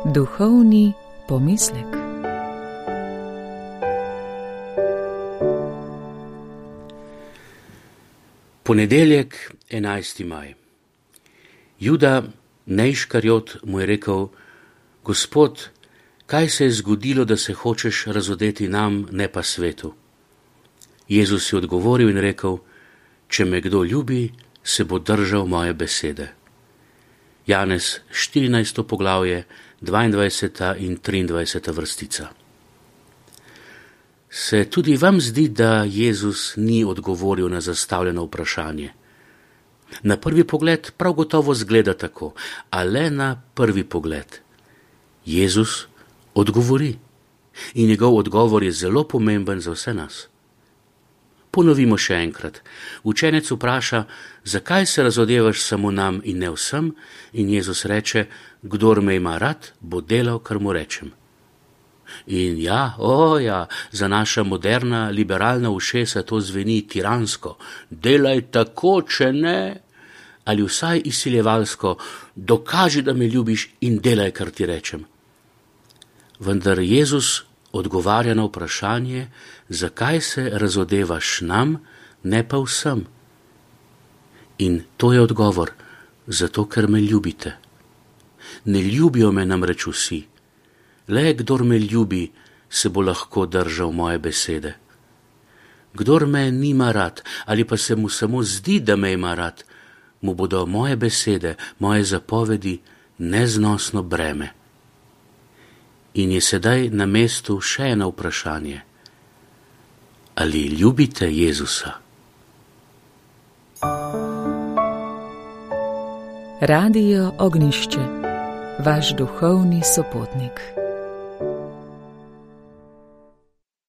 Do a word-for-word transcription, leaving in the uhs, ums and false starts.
Duhovni pomislek. Ponedeljek, enajsti maj. Juda, ne Iškariot, mu je rekel: Gospod, kaj se je zgodilo, da se hočeš razodeti nam, ne pa svetu? Jezus je odgovoril in rekel: Če me kdo ljubi, se bo držal moje besede. Janez, štirinajsto poglavje, dvaindvajseta in triindvajseta vrstica. Se tudi vam zdi, da Jezus ni odgovoril na zastavljeno vprašanje? Na prvi pogled prav gotovo zgleda tako, a le na prvi pogled. Jezus odgovori in njegov odgovor je zelo pomemben za vse nas. Ponovimo še enkrat. Učenec vpraša, zakaj se razodevaš samo nam in ne vsem, in Jezus reče: Kdor me ima rad, bo delal, kar mu rečem. In ja, o ja, za naša moderna, liberalna ušesa to zveni tiransko. Delaj tako, če ne, ali vsaj izsiljevalsko, dokaži, da me ljubiš in delaj, kar ti rečem. Vendar Jezus odgovarja na vprašanje, zakaj se razodevaš nam, ne pa vsem. In to je odgovor: zato, ker me ljubite. Ne ljubijo me namreč vsi. Le kdor me ljubi, se bo lahko držal moje besede. Kdor me nima rad, ali pa se mu samo zdi, da me ima rad, mu bodo moje besede, moje zapovedi neznosno breme. In je sedaj na mestu še eno vprašanje: ali ljubite Jezusa? Radio Ognjišče, vaš duhovni sopotnik.